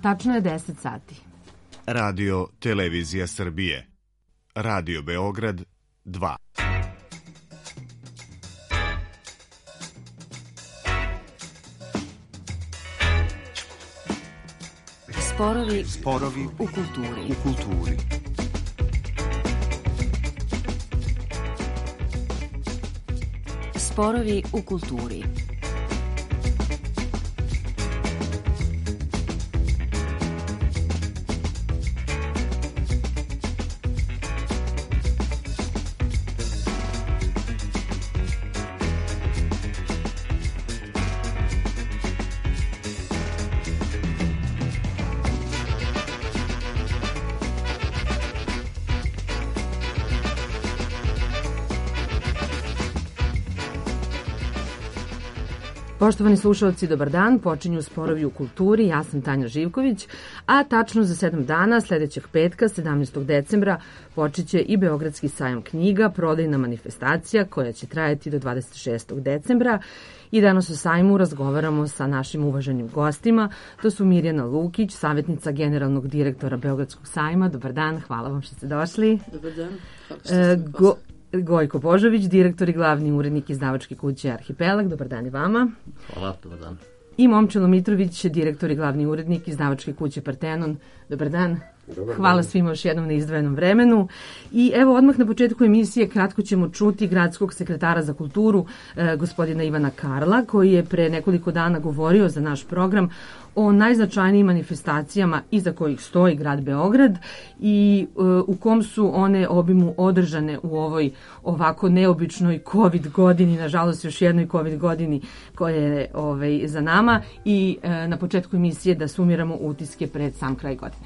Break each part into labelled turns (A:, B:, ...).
A: Tačno je 10 sati.
B: Radio Televizija Srbije. Radio Beograd 2.
C: Sporovi u kulturi.
D: Sporovi u kulturi.
A: Poštovani slušalci, dobar dan. Počinju Sporovi u kulturi. Ja sam Tanja Živković, a tačno za 7 dana, sledećeg petka, 17. decembra, počeće i Beogradski sajam knjiga, prodajna manifestacija koja će trajati do 26. decembra. I danas o sajmu razgovaramo sa našim uvaženim gostima. To su Mirjana Lukić, savjetnica generalnog direktora Beogradskog sajma. Dobar dan, hvala vam što ste došli.
E: Dobar dan, hvala što ste
A: Gojko Božović, direktor i glavni urednik izdavačke kuće Arhipelag. Dobar dan i vama.
F: Hvala, dobar dan.
A: I Momčilo Mitrović, direktor i glavni urednik izdavačke kuće Partenon. Dobar dan. Hvala svima još jednom na izdvojenom vremenu. I evo odmah na početku emisije kratko ćemo čuti gradskog sekretara za kulturu, gospodina Ivana Karla, koji je pre nekoliko dana govorio za naš program o najznačajnijim manifestacijama iza kojih stoji grad Beograd i u kom su one obimu održane u ovoj ovako neobičnoj COVID godini, nažalost još jednoj COVID godini koja je za nama, i na početku emisije da sumiramo utiske pred sam kraj godine.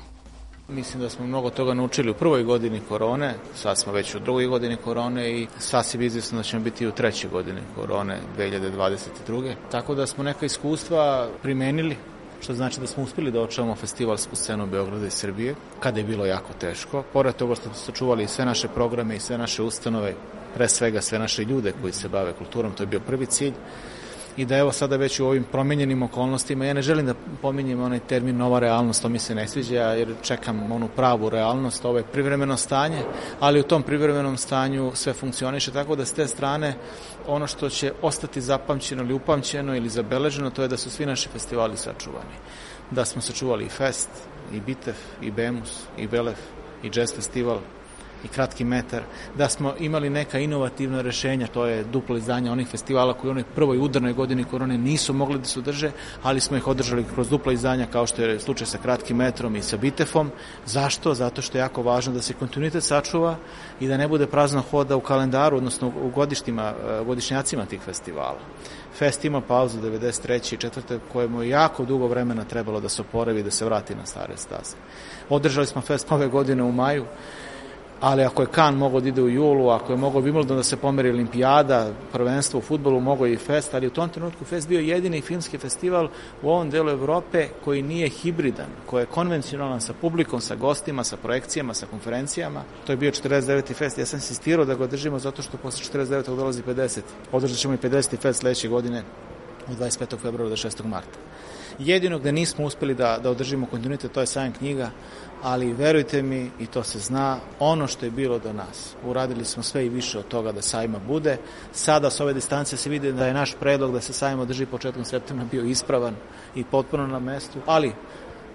F: Mislim da smo mnogo toga naučili u prvoj godini korone, sad smo već u drugoj godini korone i sasvim izvjesno da ćemo biti u trećoj godini korone 2022. Tako da smo neka iskustva primenili, što znači da smo uspjeli da očuvamo festivalsku scenu Beograda i Srbije, kada je bilo jako teško. Pored toga što smo sačuvali sve naše programe i sve naše ustanove, pre svega sve naše ljude koji se bave kulturom, to je bio prvi cilj. I da evo sada već u ovim promenjenim okolnostima, ja ne želim da pominjem onaj termin nova realnost, to mi se ne sviđa, jer čekam onu pravu realnost, ovo je privremeno stanje, ali u tom privremenom stanju sve funkcioniše, tako da s te strane ono što će ostati zapamćeno ili upamćeno ili zabeleženo, to je da su svi naši festivali sačuvani. Da smo sačuvali i Fest, i Bitef, i Bemus, i Belef, i Jazz festival, i Kratki metar, da smo imali neka inovativna rešenja, to je duplo izdanje onih festivala koji u onoj prvoj udarnoj godini korone nisu mogli da se održe, ali smo ih održali kroz dupla izdanja, kao što je slučaj sa Kratkim metrom i sa Bitefom. Zašto? Zato što je jako važno da se kontinuitet sačuva i da ne bude prazno hoda u kalendaru, odnosno u godišnjacima tih festivala. Fest ima pauzu 93. i 4. kojemu je jako dugo vremena trebalo da se oporavi i da se vrati na stare staze. Održali smo Fest ove godine u maju, ali ako je Kan mogao da ide u julu, ako je mogao Wimbledon da se pomeri olimpijada, prvenstvo u fudbalu, mogao i Fest, ali u tom trenutku Fest bio jedini filmski festival u ovom delu Evrope koji nije hibridan, koji je konvencionalan sa publikom, sa gostima, sa projekcijama, sa konferencijama. To je bio 49. Fest, ja sam insistirao da ga održimo zato što posle 49. dolazi 50. Održat ćemo i 50. Fest sledeće godine od 25. februara do 6. marta. Jedino gde nismo uspeli da održimo kontinuitet, to je sajam knjiga, ali verujte mi, i to se zna, ono što je bilo do nas. Uradili smo sve i više od toga da sajma bude. Sada s ove distance se vidi da je naš predlog da se sajam održi početkom septembra bio ispravan i potpuno na mestu, ali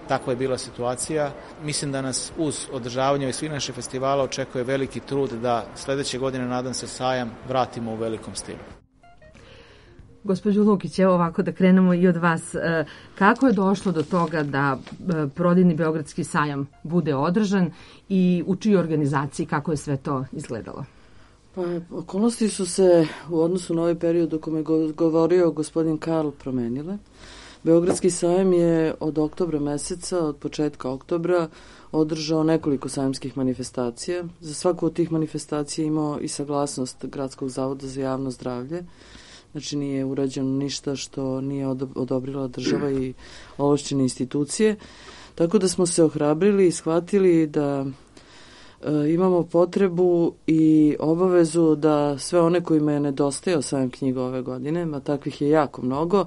F: takva je bila situacija. Mislim da nas uz održavanje svih naših festivala očekuje veliki trud da sledeće godine, nadam se, sajam vratimo u velikom stilu.
A: Gospođo Lukić, evo ovako da krenemo i od vas. Kako je došlo do toga da prodajni Beogradski sajam bude održan i u čijoj organizaciji, kako je sve to izgledalo?
E: Pa, okolnosti su se u odnosu na ovaj period o kome je govorio gospodin Karl promenile. Beogradski sajam je od oktobra meseca, od početka oktobra, održao nekoliko sajamskih manifestacija. Za svaku od tih manifestacija imao i saglasnost Gradskog zavoda za javno zdravlje. Znači nije urađeno ništa što nije odobrila država i ovlašćene institucije. Tako da smo se ohrabrili i shvatili da imamo potrebu i obavezu da sve one kojima je nedostajao sajam knjiga ove godine, a takvih je jako mnogo,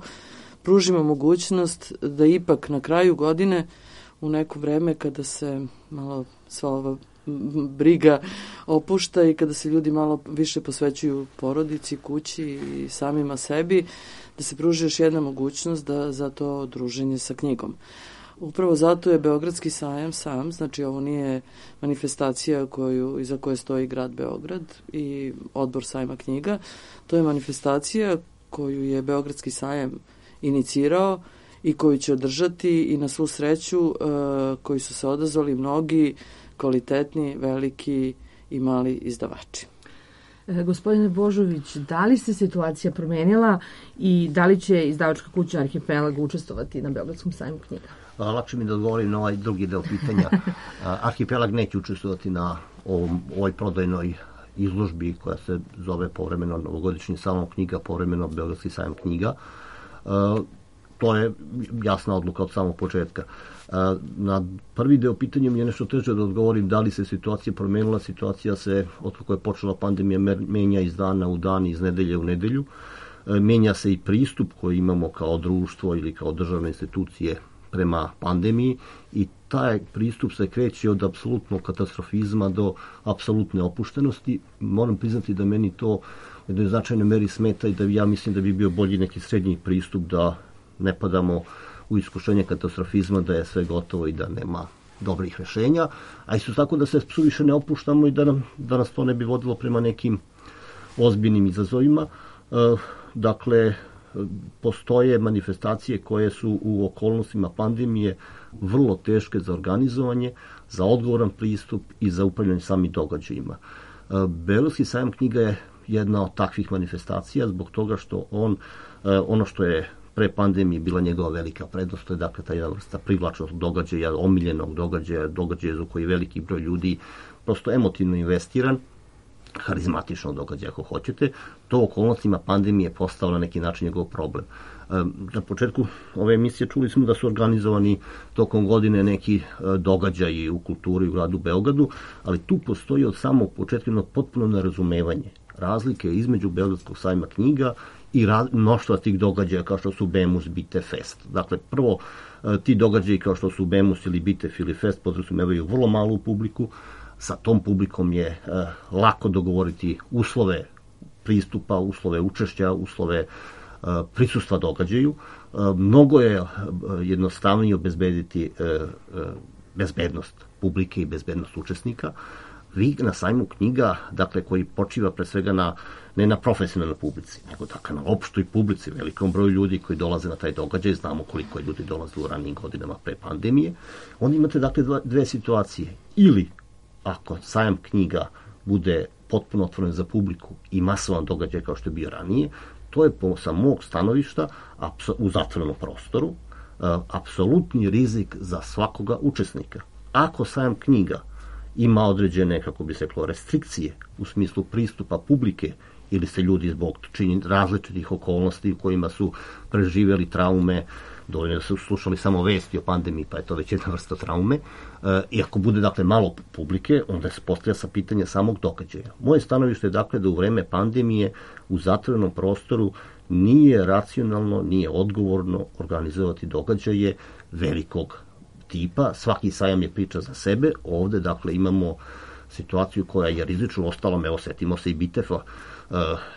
E: pružimo mogućnost da ipak na kraju godine u neko vreme kada se malo sva ova briga opušta i kada se ljudi malo više posvećuju porodici, kući i samima sebi, da se pruži još jedna mogućnost da za to druženje sa knjigom. Upravo zato je Beogradski sajam sam, znači ovo nije manifestacija iza koje stoji grad Beograd i odbor sajma knjiga, to je manifestacija koju je Beogradski sajam inicirao i koju će održati i na svu sreću koji su se odazvali mnogi kvalitetni, veliki i mali izdavači.
A: Gospodine Božović, da li se situacija promenila i da li će izdavačka kuća Arhipelag učestvovati na Beogradskom sajmu knjiga?
D: Lakše mi da odgovorim na ovaj drugi deo pitanja. Arhipelag neće učestvovati na ovoj prodajnoj izložbi koja se zove povremeno novogodišnji salon knjiga, povremeno Beogradski sajam knjiga. To je jasna odluka od samog početka. Na prvi deo pitanja mi je nešto teže da odgovorim da li se situacija promenila. Situacija se, od kako je počela pandemija, menja iz dana u dan, iz nedelje u nedelju. Menja se i pristup koji imamo kao društvo ili kao državne institucije prema pandemiji i taj pristup se kreće od apsolutnog katastrofizma do apsolutne opuštenosti. Moram priznati da meni to u jednoj značajnoj meri smeta i da ja mislim da bi bio bolji neki srednji pristup, da ne padamo u iskušenje katastrofizma, da je sve gotovo i da nema dobrih rešenja, a isto tako da se suviše ne opuštamo i da nas to ne bi vodilo prema nekim ozbiljnim izazovima. Dakle, postoje manifestacije koje su u okolnostima pandemije vrlo teške za organizovanje, za odgovoran pristup i za upravljanje samim događajima. Beogradski sajam knjiga je jedna od takvih manifestacija zbog toga što ono što je pre pandemije bila njegova velika prednost, to je dakle ta jedna vrsta privlačnog događaja, omiljenog događaja za koji veliki broj ljudi prosto emotivno investiran, harizmatičnog događaja ako hoćete. To u okolnostima pandemije je postao na neki način njegov problem. Na početku ove emisije čuli smo da su organizovani tokom godine neki događaji u kulturi u gradu Beogradu, ali tu postoji od samog početka potpuno nerazumevanje razlike između Beogradskog sajma knjiga i mnoštva tih događaja kao što su Bemus, Bite, Fest. Dakle, prvo, ti događaji kao što su Bemus ili Bite ili Fest podrazumevaju vrlo malu publiku. Sa tom publikom je lako dogovoriti uslove pristupa, uslove učešća, uslove prisustva događaju. Mnogo je jednostavnije obezbediti bezbednost publike i bezbednost učesnika. Vi na sajmu knjiga, dakle, koji počiva pre svega ne na profesionalnoj publici, nego dakle na opštoj publici, velikom broju ljudi koji dolaze na taj događaj, znamo koliko je ljudi dolazilo u ranijim godinama pre pandemije, onda imate dakle dve situacije. Ili, ako sajam knjiga bude potpuno otvoren za publiku i masovan događaj kao što je bio ranije, to je sa mog stanovišta u zatvorenom prostoru apsolutni rizik za svakoga učesnika. Ako sajam knjiga ima određene, kako bi se reklo, restrikcije u smislu pristupa publike ili se ljudi zbog različitih okolnosti u kojima su preživjeli traume, dovoljno da su slušali samo vesti o pandemiji, pa je to već jedna vrsta traume, i ako bude dakle malo publike, onda se postavlja sa pitanja samog događaja. Moje stanovište je dakle da u vreme pandemije u zatvorenom prostoru nije racionalno, nije odgovorno organizovati događaje velikog tipa. Svaki sajam je priča za sebe. Ovde dakle imamo situaciju koja je rizična, ostalom, evo setimo se i Bitefa.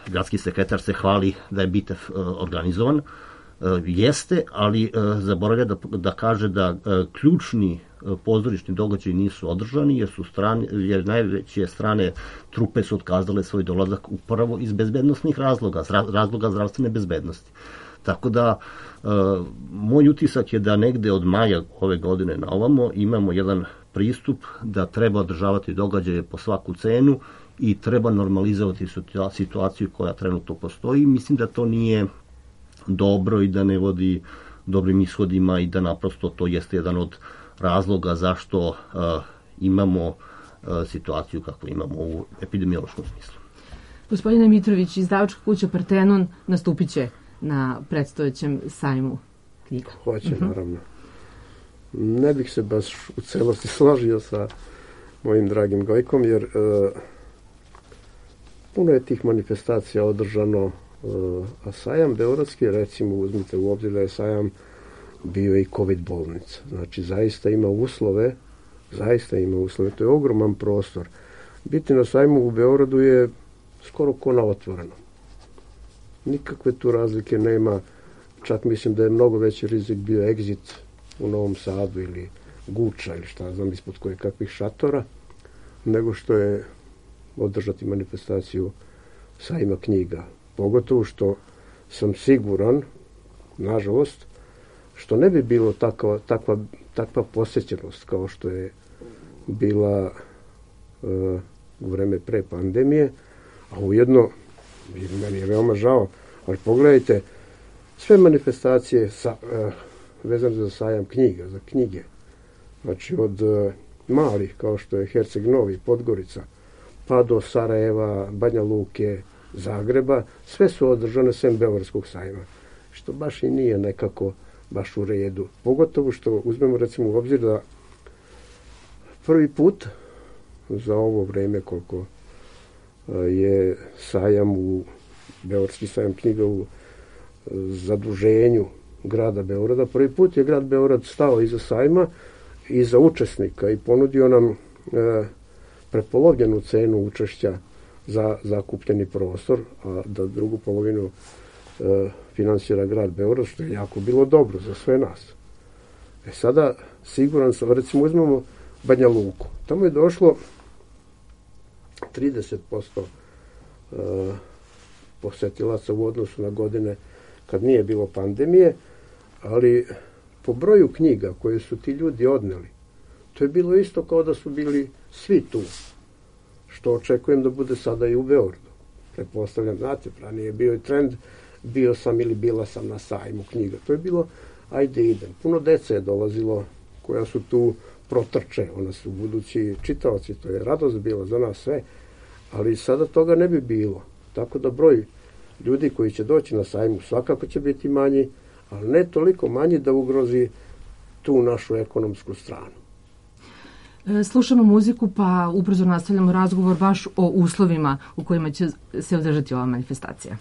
D: Gradski sekretar se hvali da je Bitef organizovan. Jeste, ali zaboravlja da kaže da ključni pozorišni događaji nisu održani jer najveće strane trupe su otkazale svoj dolazak upravo iz bezbednostnih razloga zdravstvene bezbednosti. Tako da moj utisak je da negde od maja ove godine na ovamo imamo jedan pristup da treba održavati događaje po svaku cenu i treba normalizovati situaciju koja trenutno postoji. Mislim da to nije dobro i da ne vodi dobrim ishodima i da naprosto to jeste jedan od razloga zašto imamo situaciju kakvu imamo u epidemiološkom smislu.
A: Gospodine Mitrović, izdavačka kuća Partenon nastupit će na predstojećem sajmu knjiga.
G: Hoće, naravno. Ne bih se baš u celosti složio sa mojim dragim Gojkom, jer puno je tih manifestacija održano, a sajam beogradski, recimo, uzmite u obzir da je sajam bio je i COVID bolnica. Znači, zaista ima uslove, to je ogroman prostor. Biti na sajmu u Beogradu je skoro ko na otvoreno. Nikakve tu razlike nema, čak mislim da je mnogo veći rizik bio egzit u Novom Sadu ili Guča ili šta znam ispod koje kakvih šatora, nego što je održati manifestaciju sajma knjiga. Pogotovo što sam siguran, nažalost, što ne bi bilo takva posjećenost kao što je bila u vreme pre pandemije, a ujedno, meni je veoma žao, ali pogledajte, sve manifestacije vezane za sajam knjiga, za knjige, znači od malih kao što je Herceg Novi, Podgorica, pa do Sarajeva, Banja Luke, Zagreba, sve su održane sem Beogradskog sajma, što baš i nije nekako baš u redu. Pogotovo što uzmemo recimo u obzir da prvi put za ovo vreme koliko je sajam Beogradski sajam knjiga u zaduženju grada Beograda, prvi put je grad Beograd stao iza sajma, iza učesnika i ponudio nam prepolovljenu cenu učešća za zakupljeni prostor, a da drugu polovinu finansira grad Beograd, što je jako bilo dobro za sve nas. Sada, siguran sam, recimo uzmemo Banja Luku. Tamo je došlo 30% posetilaca u odnosu na godine kad nije bilo pandemije, ali po broju knjiga koje su ti ljudi odneli, to je bilo isto kao da su bili svi tu, što očekujem da bude sada i u Beogradu. Pretpostavljam, znate, ranije je bio i trend, bio sam ili bila sam na sajmu knjiga. To je bilo, ajde idem. Puno dece je dolazilo koja su tu protrče, ona su budući čitaoci, to je radost bila za nas sve, ali sada toga ne bi bilo. Tako da broj ljudi koji će doći na sajmu svakako će biti manji, ali ne toliko manji da ugrozi tu našu ekonomsku stranu.
A: Slušamo muziku, pa ubrzo nastavljamo razgovor baš o uslovima u kojima će se održati ova manifestacija.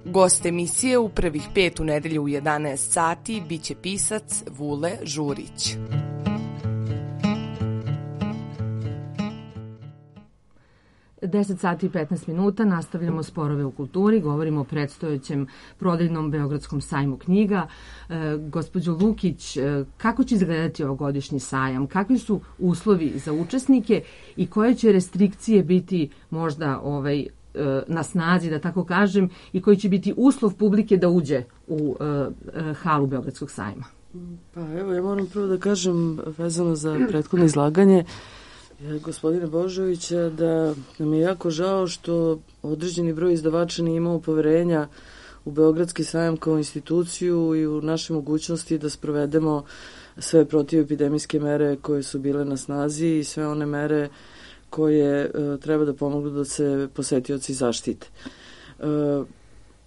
H: Gost emisije u prvih 5 u nedelju u 11 sati biće pisac Vule Žurić.
A: 10 sati i 15 minuta nastavljamo Sporove u kulturi, govorimo o predstojećem prodajnom Beogradskom sajmu knjiga. Gospođo Lukić, kako će izgledati ovogodišnji sajam? Kakvi su uslovi za učesnike i koje će restrikcije biti možda na snazi, da tako kažem, i koji će biti uslov publike da uđe u halu Beogradskog sajma?
E: Pa evo, ja moram prvo da kažem, vezano za prethodno izlaganje gospodine Božovića, da nam je jako žao što određeni broj izdavača nije imao poverenja u Beogradski sajam kao instituciju i u naše mogućnosti da sprovedemo sve protivepidemijske mere koje su bile na snazi i sve one mere koje treba da pomognu da se posetioci zaštite.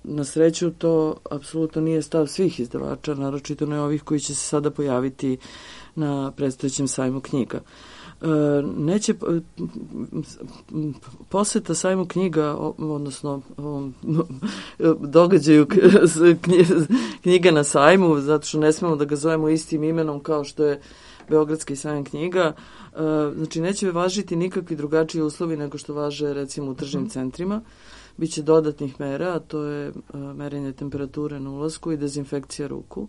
E: Na sreću to apsolutno nije stav svih izdavača, naročito ne ovih koji će se sada pojaviti na predstojećem sajmu knjiga. Neće poseta sajmu knjiga, odnosno događaju knjiga na sajmu, zato što ne smemo da ga zovemo istim imenom kao što je Beogradski sajam knjiga, znači neće važiti nikakvi drugačiji uslovi nego što važe recimo u tržnim centrima. Biće dodatnih mera, a to je merenje temperature na ulasku i dezinfekcija ruku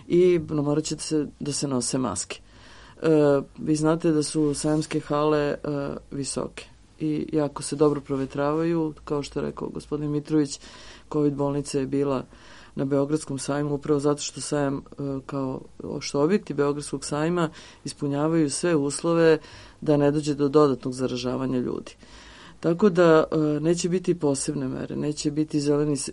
E: i morat će da se nose maske. Vi znate da su sajamske hale visoke i jako se dobro provetravaju, kao što je rekao gospodin Mitrović, COVID bolnica je bila na Beogradskom sajmu upravo zato što sajam kao što objekti Beogradskog sajma ispunjavaju sve uslove da ne dođe do dodatnog zaražavanja ljudi. Tako da neće biti posebne mere, neće biti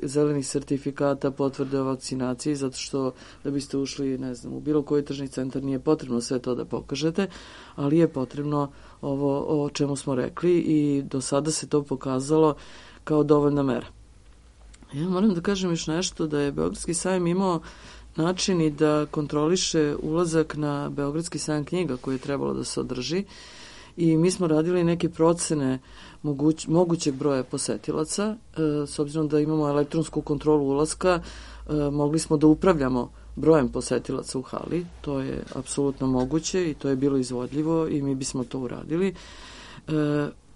E: zelenih sertifikata, potvrde o vakcinaciji, zato što da biste ušli, ne znam, u bilo koji tržni centar nije potrebno sve to da pokažete, ali je potrebno ovo o čemu smo rekli i do sada se to pokazalo kao dovoljna mera. Ja moram da kažem još nešto, da je Beogradski sajam imao način i da kontroliše ulazak na Beogradski sajam knjiga koji je trebalo da se održi i mi smo radili neke procene mogućeg broja posetilaca. S obzirom da imamo elektronsku kontrolu ulaska, mogli smo da upravljamo brojem posetilaca u hali. To je apsolutno moguće i to je bilo izvodljivo i mi bismo to uradili.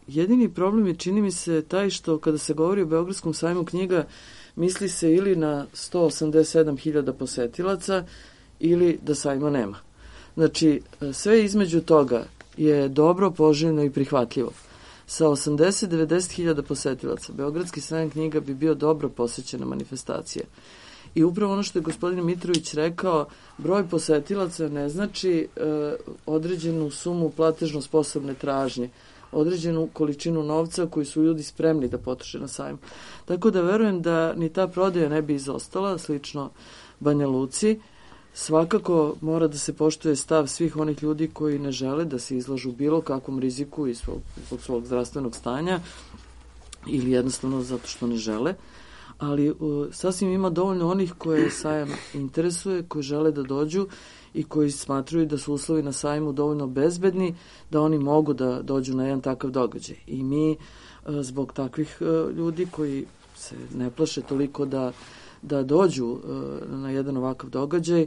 E: Jedini problem je, čini mi se, taj što kada se govori o Beogradskom sajmu knjiga, misli se ili na 187.000 posetilaca ili da sajma nema. Znači, sve između toga je dobro, poželjno i prihvatljivo. Sa 80-90.000 posetilaca Beogradski sajam knjiga bi bio dobro posećena manifestacija. I upravo ono što je gospodin Mitrović rekao, broj posetilaca ne znači određenu sumu platežno sposobne tražnje, određenu količinu novca koju su ljudi spremni da potroše na sajmu. Tako da verujem da ni ta prodaja ne bi izostala, slično Banja Luci. Svakako mora da se poštuje stav svih onih ljudi koji ne žele da se izlažu bilo kakvom riziku iz svog zdravstvenog stanja ili jednostavno zato što ne žele, ali sasvim ima dovoljno onih koje sajam interesuje, koji žele da dođu i koji smatruju da su uslovi na sajmu dovoljno bezbedni da oni mogu da dođu na jedan takav događaj. I mi zbog takvih ljudi koji se ne plaše toliko da dođu na jedan ovakav događaj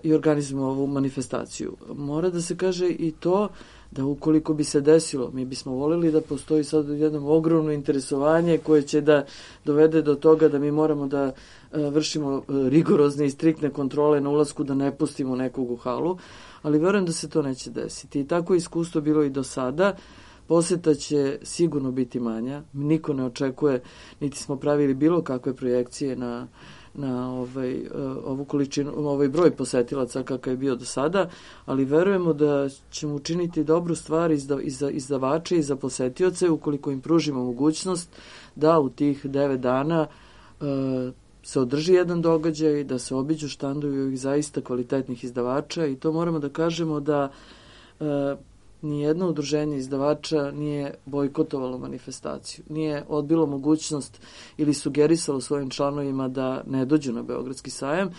E: i organizujemo ovu manifestaciju. Mora da se kaže i to da ukoliko bi se desilo, mi bismo voljeli da postoji sad jedno ogromno interesovanje koje će da dovede do toga da mi moramo da vršimo rigorozne i striktne kontrole na ulasku, da ne pustimo nekog u halu, ali verujem da se to neće desiti. I tako iskustvo bilo i do sada. Poseta će sigurno biti manja, niko ne očekuje, niti smo pravili bilo kakve projekcije na ovu količinu, ovaj broj posetilaca kakav je bio do sada, ali verujemo da ćemo učiniti dobru stvar i za izdavače i za posetioce ukoliko im pružimo mogućnost da u tih 9 dana se održi jedan događaj, da se obiđu štandovi ovih zaista kvalitetnih izdavača i to moramo da kažemo da nijedno udruženje izdavača nije bojkotovalo manifestaciju, nije odbilo mogućnost ili sugerisalo svojim članovima da ne dođu na Beogradski sajam,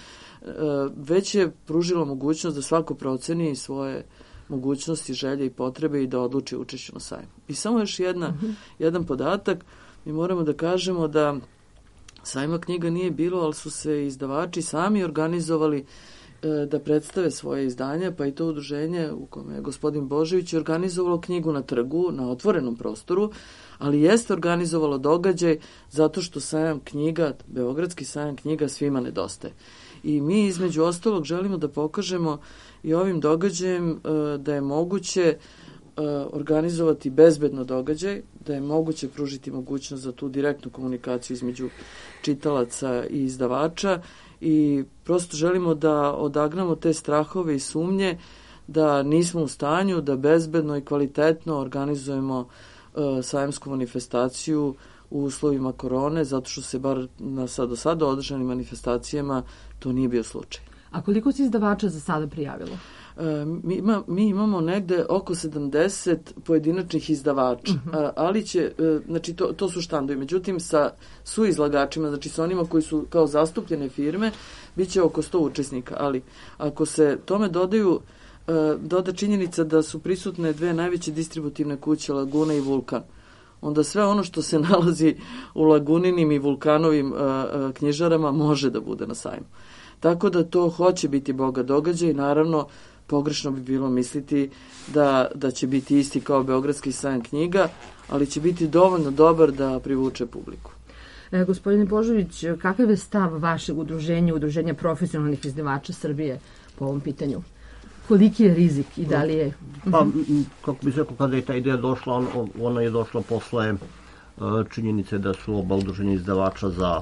E: već je pružilo mogućnost da svako proceni svoje mogućnosti, želje i potrebe i da odluči učešću na sajmu. I samo još jedan podatak, mi moramo da kažemo da sajma knjiga nije bilo, ali su se izdavači sami organizovali da predstave svoje izdanje, pa i to udruženje u kome je gospodin Božović organizovalo knjigu na trgu, na otvorenom prostoru, ali jeste organizovalo događaj zato što sajam knjiga, Beogradski sajam knjiga svima nedostaje. I mi između ostalog želimo da pokažemo i ovim događajem da je moguće organizovati bezbedno događaj, da je moguće pružiti mogućnost za tu direktnu komunikaciju između čitalaca i izdavača i prosto želimo da odagnamo te strahove i sumnje da nismo u stanju da bezbedno i kvalitetno organizujemo sajamsku manifestaciju u uslovima korone, zato što se bar do sada održanim manifestacijama to nije bio slučaj.
A: A koliko se izdavača za sada prijavilo?
E: Mi imamo negde oko 70 pojedinačnih izdavača, ali će, znači to su štandovi, međutim sa suizlagačima, znači sa onima koji su kao zastupljene firme, bit će oko 100 učesnika, ali ako se tome doda činjenica da su prisutne dve najveće distributivne kuće, Laguna i Vulkan, onda sve ono što se nalazi u Laguninim i Vulkanovim knjižarama može da bude na sajmu. Tako da to hoće biti bogat događaj i naravno pogrešno bi bilo misliti da će biti isti kao Beogradski sajam knjiga, ali će biti dovoljno dobar da privuče publiku.
A: Gospodine Božović, kakav je stav vašeg udruženja profesionalnih izdavača Srbije po ovom pitanju? Koliki je rizik i da li je...
D: Pa, kako bih rekao, kada je ta ideja došla, ona je došla posle činjenice da su oba udruženja izdavača za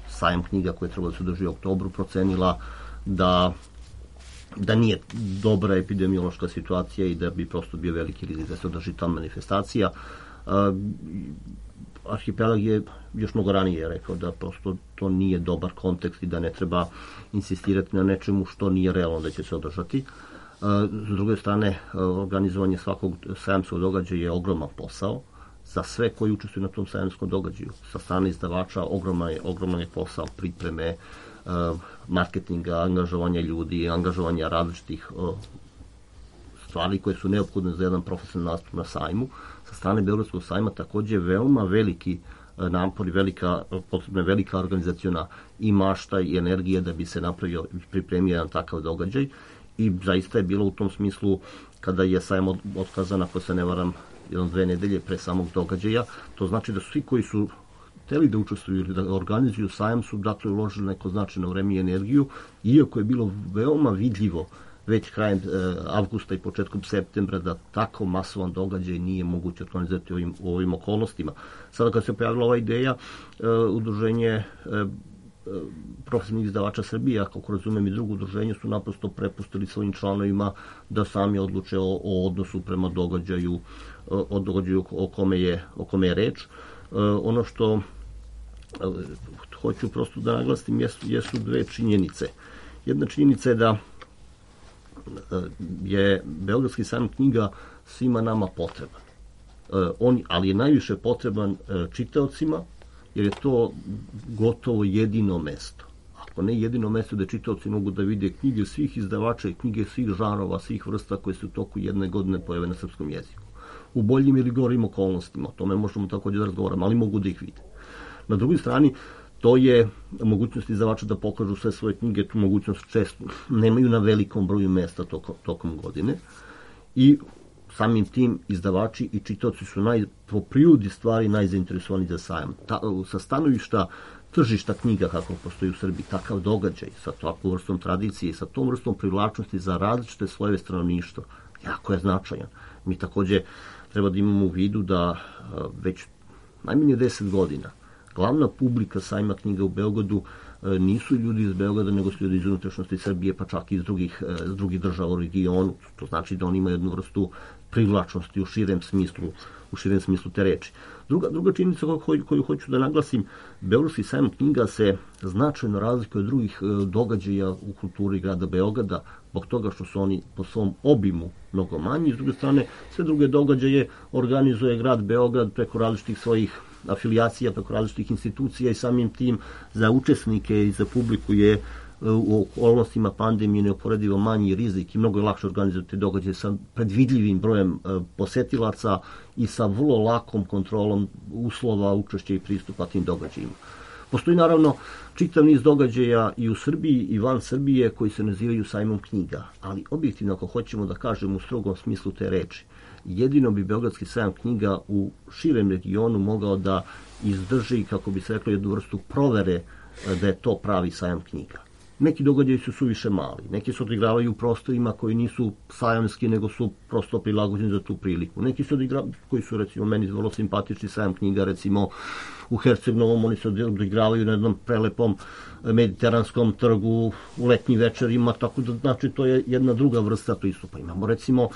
D: sajam knjiga koje treba da se održi u oktobru procenila da nije dobra epidemiološka situacija i da bi prosto bio veliki rizik da se održi ta manifestacija. Arhipelag je još mnogo ranije rekao da prosto to nije dobar kontekst i da ne treba insistirati na nečemu što nije realno da će se održati. S druge strane, organizovanje svakog sajamskog događaja je ogroman posao za sve koji učestvuju na tom sajamskom događaju. Sa strane izdavača ogroman je posao pripreme, marketinga, angažovanja ljudi, angažovanja različitih stvari koje su neophodne za jedan profesionalni nastup na sajmu. Sa strane Beogradskog sajma takođe veoma veliki napor i potrebna velika organizaciona i mašta i energija da bi se napravio i pripremio jedan takav događaj. I zaista je bilo u tom smislu, kada je sajam otkazan, ako se ne varam, 1-2 nedelje pre samog događaja, to znači da svi koji su hteli da učestvuju ili da organizuju sajam su dakle uložili neko značajno vreme i energiju, iako je bilo veoma vidljivo već krajem avgusta i početkom septembra da tako masovan događaj nije moguće organizovati u ovim okolnostima. Sada kad se pojavila ova ideja, udruženje profesionalnih izdavača Srbije, ako razumem i drugo udruženje, su naprosto prepustili svojim članovima da sami odluče o odnosu prema događaju, o kome je reč. Ono što hoću prosto da naglasim jesu dve činjenice. Jedna činjenica je da je Beogradski sajam knjiga svima nama potreban. Ali je najviše potreban čitaocima, jer je to gotovo jedino mesto. Ako ne jedino mesto da čitaoci mogu da vide knjige svih izdavača i knjige svih žanrova, svih vrsta koje se u toku jedne godine pojave na srpskom jeziku. U boljim ili gorim okolnostima, o tome možemo takođe da razgovaramo, ali mogu da ih vide. Na drugoj strani, to je mogućnost izdavača da pokažu sve svoje knjige, tu mogućnost često nemaju na velikom broju mesta tokom godine i samim tim izdavači i čitaoci su po prirodi stvari najzainteresovani za sajam. Sa stanovišta tržišta knjiga kako postoji u Srbiji, takav događaj sa takvom vrstom tradicije i sa tom vrstom privlačnosti za različite slojeve stanovništva jako je značajan. Mi takođe treba da imamo u vidu da već najmanje 10 godina glavna publika sajma knjiga u Beogradu nisu ljudi iz Beograda, nego su ljudi iz unutrašnjosti Srbije, pa čak i iz drugih država u regionu. To znači da oni imaju jednu vrstu privlačnosti u širem smislu te reči. Druga činjenica koju hoću da naglasim, Beogradski sajam knjiga se značajno razlikuje od drugih događaja u kulturi grada Beograda, zbog toga što su oni po svom obimu mnogo manji. S druge strane, sve druge događaje organizuje grad Beograd preko različitih svojih afilijacija, preko različitih institucija i samim tim za učesnike i za publiku je u okolnostima pandemije neuporedivo manji rizik i mnogo je lakše organizovati događaje sa predvidljivim brojem posetilaca i sa vrlo lakom kontrolom uslova, učešća i pristupa tim događajima. Postoji naravno čitav niz događaja i u Srbiji i van Srbije koji se nazivaju sajmom knjiga, ali objektivno ako hoćemo da kažemo u strogom smislu te reči, jedino bi Beogradski sajam knjiga u širem regionu mogao da izdrži, kako bi se reklo, jednu vrstu provere da je to pravi sajam knjiga. Neki događaji su suviše mali, neki se odigravaju u prostorima koji nisu sajamski, nego su prosto prilagođeni za tu priliku. Neki se odigravaju, koji su recimo meni vrlo simpatični sajam knjiga, recimo u Herceg-Novom, oni se odigravaju na jednom prelepom mediteranskom trgu u letnjim večerima, tako da znači to je jedna druga vrsta pristupa. Imamo recimo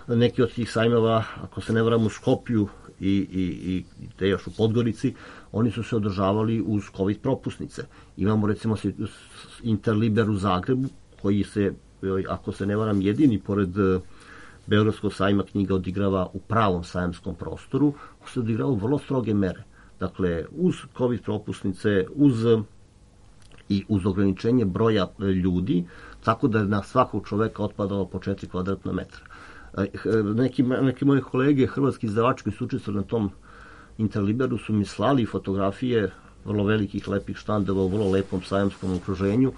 D: neki od tih sajmeva, ako se ne varam, u Skopju i te još u Podgorici, oni su se održavali uz COVID propusnice. Imamo recimo Interliber u Zagrebu, koji se, ako se ne varam, jedini pored Beogradskog sajma knjiga odigrava u pravom sajamskom prostoru, se odigrava vrlo stroge mere. Dakle, uz COVID propusnice, uz ograničenje broja ljudi, tako da je na svakog čoveka otpadalo po 4 kvadratna metra. Neki moje kolege, hrvatski izdavači koji su učestvovali na tom Interliberu, su mi slali fotografije vrlo velikih, lepih štandova u vrlo lepom sajamskom okruženju,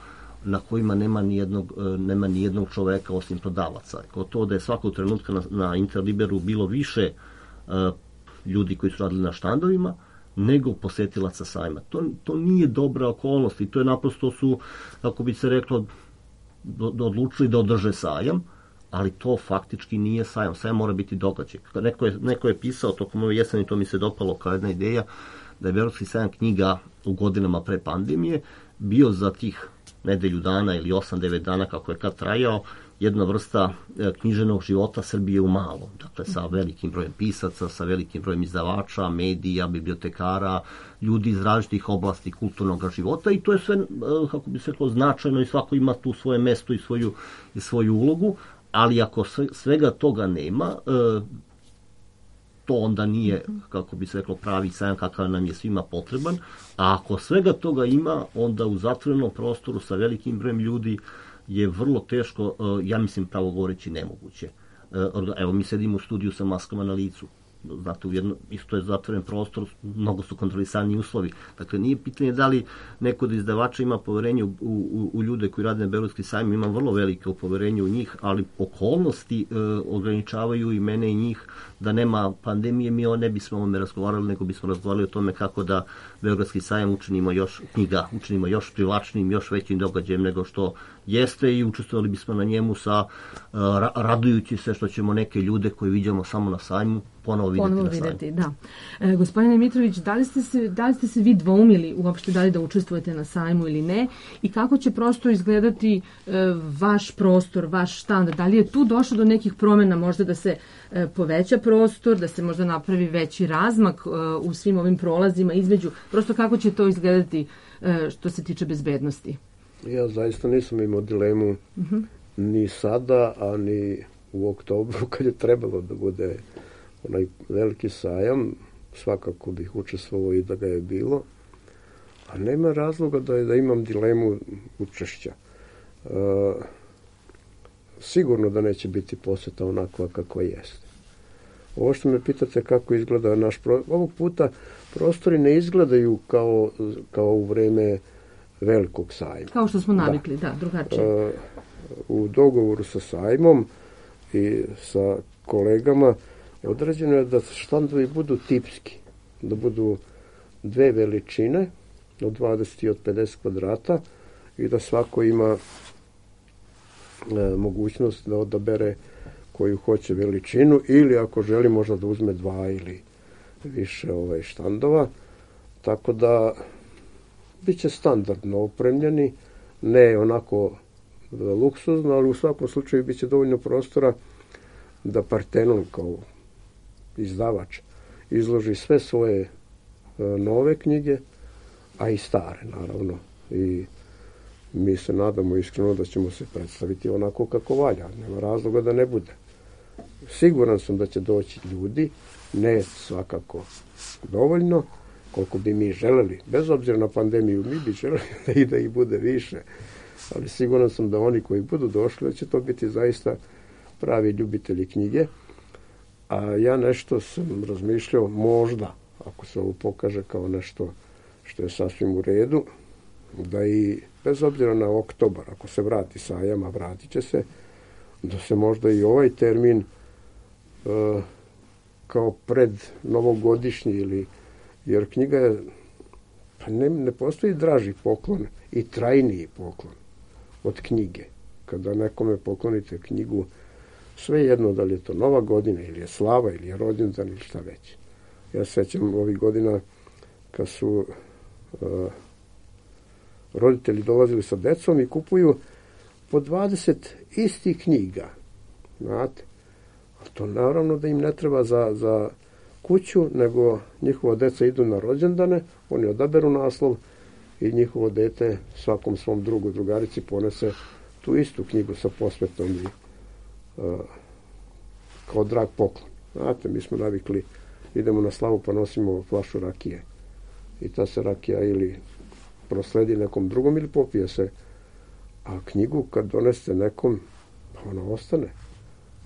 D: na kojima nema ni jednog čoveka osim prodavaca. Kao to da je svakog trenutka na Interliberu bilo više ljudi koji su radili na štandovima, nego posetilaca sajma. To nije dobra okolnost i to je naprosto su, kako bi se reklo, odlučili da održe sajam, ali to faktički nije sajam. Sajam mora biti događaj. Neko je pisao tokom ove jeseni, to mi se dopalo kao jedna ideja, da je Beogradski sajam knjiga u godinama pre pandemije bio za tih nedelju dana ili 8-9 dana, kako je kad trajao, jedna vrsta književnog života Srbije u malom. Dakle, sa velikim brojem pisaca, sa velikim brojem izdavača, medija, bibliotekara, ljudi iz različitih oblasti kulturnog života i to je sve, kako bi se reklo, značajno i svako ima tu svoje mesto i svoju ulogu, ali ako svega toga nema, to onda nije, kako bi se reklo, pravi sajam kakav nam je svima potreban, a ako svega toga ima, onda u zatvorenom prostoru sa velikim brojem ljudi je vrlo teško, ja mislim pravo govoreći nemoguće. Evo, mi sedimo u studiju sa maskama na licu. Znate, isto je zatvoren prostor, mnogo su kontrolisani uslovi. Dakle, nije pitanje da li neko od izdavača ima poverenje u ljude koji rade na Beogradski sajam, ima vrlo veliko poverenje u njih, ali okolnosti ograničavaju i mene i njih. Da nema pandemije, mi ne bismo o tome razgovarali, nego bismo razgovarali o tome kako da Beogradski sajam učinimo još privlačnim, još većim događajem nego što jeste i učestvovali bismo na njemu radujući se što ćemo neke ljude koje vidimo samo na sajmu ponovo videti.
A: Da. Gospodine Mitrović, da li ste se vi dvoumili uopšte da li da učestvujete na sajmu ili ne i kako će prosto izgledati vaš prostor, vaš štand? Da li je tu došlo do nekih promjena, možda da se poveća prostor, da se možda napravi veći razmak u svim ovim prolazima između, prosto kako će to izgledati što se tiče bezbednosti?
G: Ja zaista nisam imao dilemu ni sada, a ni u oktobru kad je trebalo da bude onaj veliki sajam, svakako bih učestvovao i da ga je bilo, a nema razloga da imam dilemu učešća. Sigurno da neće biti poseta onakva kako jeste. Ovo što me pitate kako izgleda naš prostor, ovog puta prostori ne izgledaju kao u vreme velikog sajma.
A: Kao što smo navikli, da drugačije.
G: U dogovoru sa sajmom i sa kolegama određeno je da štandovi budu tipski, da budu dve veličine od 20 i od 50 kvadrata i da svako ima mogućnost da odabere koju hoće veličinu ili ako želi možda da uzme 2 ili više štandova. Tako da bit će standardno opremljeni, ne onako luksuzno, ali u svakom slučaju bit će dovoljno prostora da Partenon kao izdavač izloži sve svoje nove knjige, a i stare naravno. I mi se nadamo iskreno da ćemo se predstaviti onako kako valja. Nema razloga da ne bude. Siguran sam da će doći ljudi, ne svakako dovoljno, koliko bi mi želeli. Bez obzira na pandemiju, mi bi želeli da ih bude više. Ali siguran sam da oni koji budu došli, da će to biti zaista pravi ljubitelji knjige. A ja nešto sam razmišljao, možda, ako se ovo pokaže kao nešto što je sasvim u redu, da i bez obzira na oktobar, ako se vrati sajam, a vratit će se, da se možda i ovaj termin kao pred novogodišnji ili, jer knjiga je, pa ne postoji draži poklon i trajniji poklon od knjige. Kada nekome poklonite knjigu, sve jedno da li je to Nova godina ili je slava ili je rođendan ili šta već. Ja sećam ovih godina kad su roditelji dolazili sa decom i kupuju po 20 istih knjiga. Znate? A to naravno da im ne treba za kuću, nego njihova deca idu na rođendane, oni odaberu naslov i njihovo dete svakom svom drugu, drugarici ponese tu istu knjigu sa posvetom i kao drag poklon. Znate, mi smo navikli, idemo na slavu pa nosimo flašu rakije. I ta se rakija ili prosledi nekom drugom ili popije se. A knjigu kad doneste nekom, ona ostane.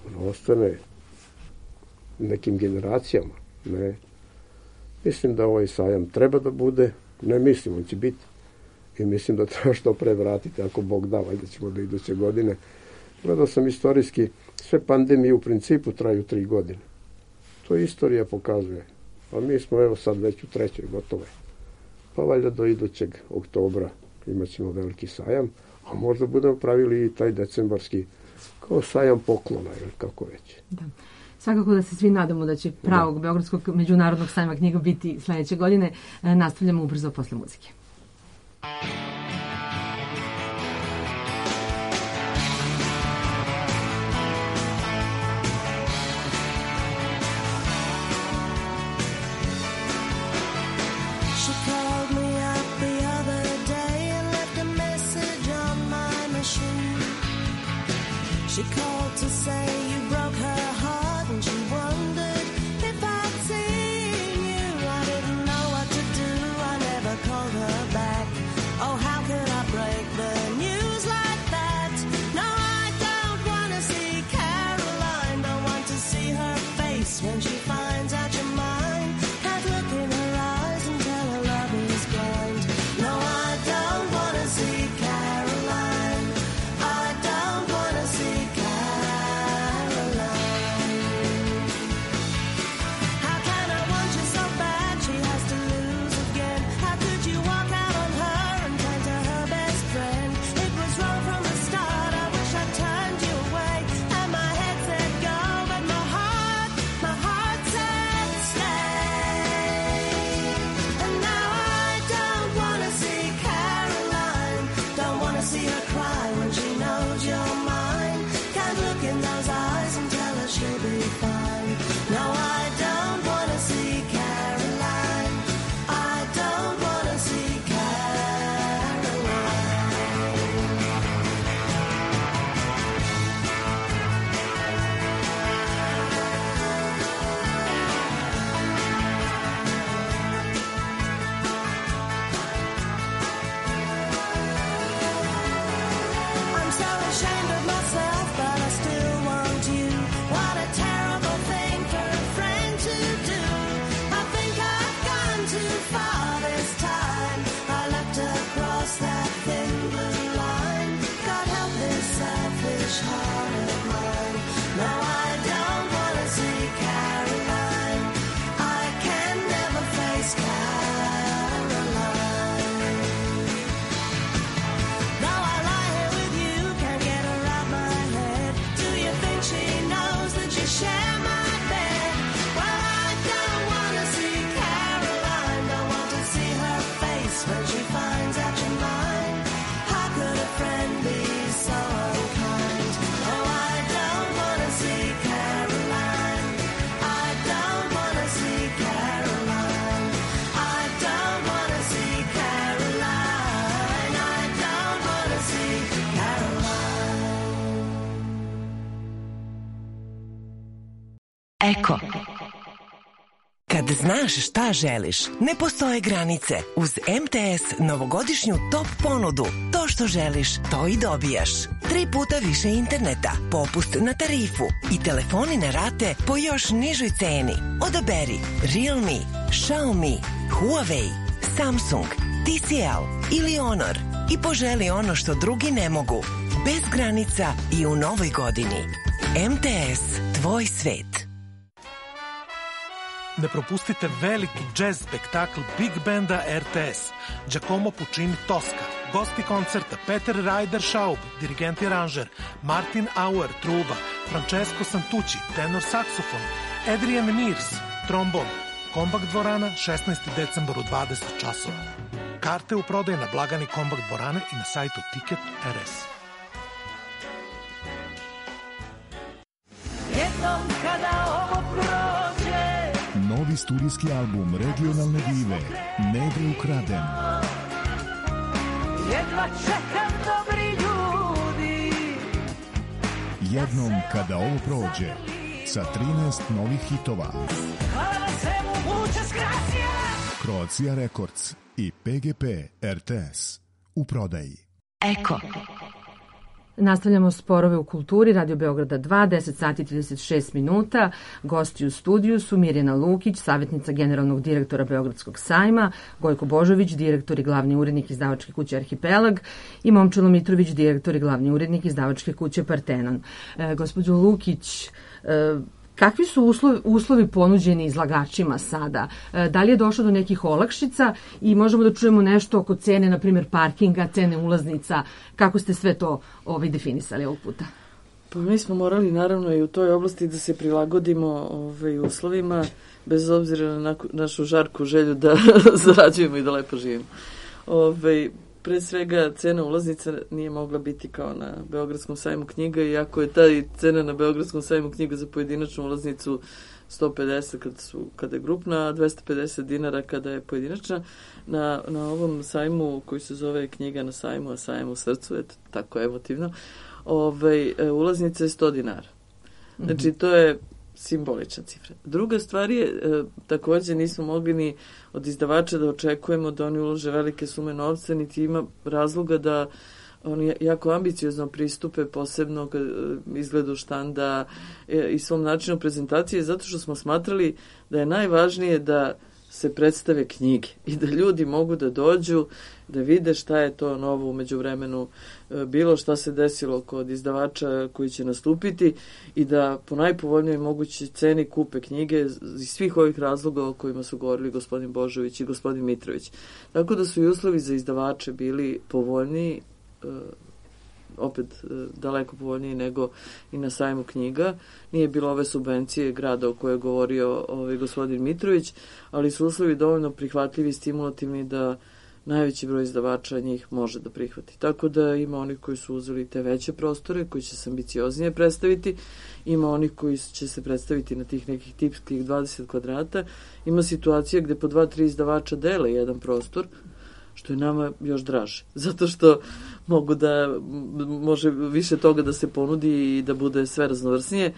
G: Ona ostane nekim generacijama. Ne. Mislim da ovaj sajam treba da bude, ne mislim, on će biti. I mislim da treba što pre vratiti, ako Bog da, valjda ćemo do iduće godine. Gledao sam istorijski, sve pandemije u principu traju 3 godine. To istorija pokazuje. A mi smo evo sad već u 3. gotove. Pa valjda do idućeg oktobra imat ćemo veliki sajam, a možda budemo pravili i taj decembarski kao sajam poklona ili kako već.
A: Da. Svakako da se svi nadamo da će pravog Beogradskog međunarodnog sajma knjiga biti sledeće godine. Nastavljamo ubrzo posle muzike.
I: She called to say you broke her heart, and she wondered if I'd seen you. I didn't know what to do, I never called her back. Oh, how could I break the news like that? No, I don't want to see Caroline, don't want to see her face when she finds out you're mine. Can't look in her eyes and tell her love is blind. No, I don't want to see Caroline, I don't want to see
J: Eko. Kad znaš šta želiš, ne postoje granice. Uz MTS novogodišnju top ponudu. To što želiš, to i dobijaš. 3 puta više interneta, popust na tarifu i telefoni na rate po još nižoj ceni. Odaberi Realme, Xiaomi, Huawei, Samsung, TCL ili Honor i poželi ono što drugi ne mogu. Bez granica i u novoj godini. MTS, tvoj svet.
K: Ne propustite veliki jazz spektakl Big Banda RTS, Giacomo Puccini Tosca, gosti koncerta Peter Ryder Schaub, dirigent i aranžer, Martin Auer, truba, Francesco Santucci, tenor saksofon, Adrian Mears, trombon, Kombakt dvorana, 16. decembar u 20 časova. Karte u prodaju na blagani Kombakt dvorane i na sajtu Ticket.rs.
I: Jednom kada ovo prođe,
L: novi studijski album regionalne dive Ne bi ukraden.
I: jedva čekam dobri ljudi.
L: Jednom kada ovo prođe, sa 13 novih hitova.
I: Hvala na svemu, muchas gracias.
L: Croatia Records i PGP RTS u prodaji.
A: Eko. Nastavljamo Sporove u kulturi, Radio Beograda 2, 10 sati 36 minuta. Gosti u studiju su Mirjana Lukić, savjetnica generalnog direktora Beogradskog sajma, Gojko Božović, direktor i glavni urednik izdavačke kuće Arhipelag i Momčilo Mitrović, direktor i glavni urednik izdavačke kuće Partenon. Gospođo Lukić, kakvi su uslovi ponuđeni izlagačima sada? Da li je došlo do nekih olakšica i možemo da čujemo nešto oko cene, na primjer parkinga, cene ulaznica, kako ste sve to definisali ovog puta?
E: Pa mi smo morali naravno i u toj oblasti da se prilagodimo uslovima, bez obzira na našu žarku želju da zarađujemo i da lepo živimo. Pre svega, cena ulaznica nije mogla biti kao na Beogradskom sajmu knjiga, iako je ta cena na Beogradskom sajmu knjiga za pojedinačnu ulaznicu 150 kada je grupna, a 250 dinara kada je pojedinačna. Na ovom sajmu koji se zove Knjiga na sajmu, a sajmu u srcu, eto, tako emotivno, ulaznica je 100 dinara. Znači, to je simbolična cifra. Druga stvar je, također nismo mogli ni od izdavača da očekujemo da oni ulože velike sume novca, niti ima razloga da oni jako ambiciozno pristupe posebno izgledu štanda i svom načinu prezentacije, zato što smo smatrali da je najvažnije da se predstave knjige i da ljudi mogu da dođu, da vide šta je to novo u međuvremenu bilo, šta se desilo kod izdavača koji će nastupiti i da po najpovoljnijoj mogućoj ceni kupe knjige iz svih ovih razloga o kojima su govorili gospodin Božović i gospodin Mitrović. Tako da su i uslovi za izdavače bili povoljniji, opet daleko povoljniji nego i na sajmu knjiga. Nije bilo ove subvencije grada o kojoj je govorio gospodin Mitrović, ali su uslovi dovoljno prihvatljivi i stimulativni da najveći broj izdavača njih može da prihvati. Tako da ima onih koji su uzeli te veće prostore, koji će se ambicioznije predstaviti, ima onih koji će se predstaviti na tih nekih tipskih 20 kvadrata, ima situacija gde po 2-3 izdavača dele jedan prostor, što je nama još draže, zato što može više toga da se ponudi i da bude sve raznovrsnije.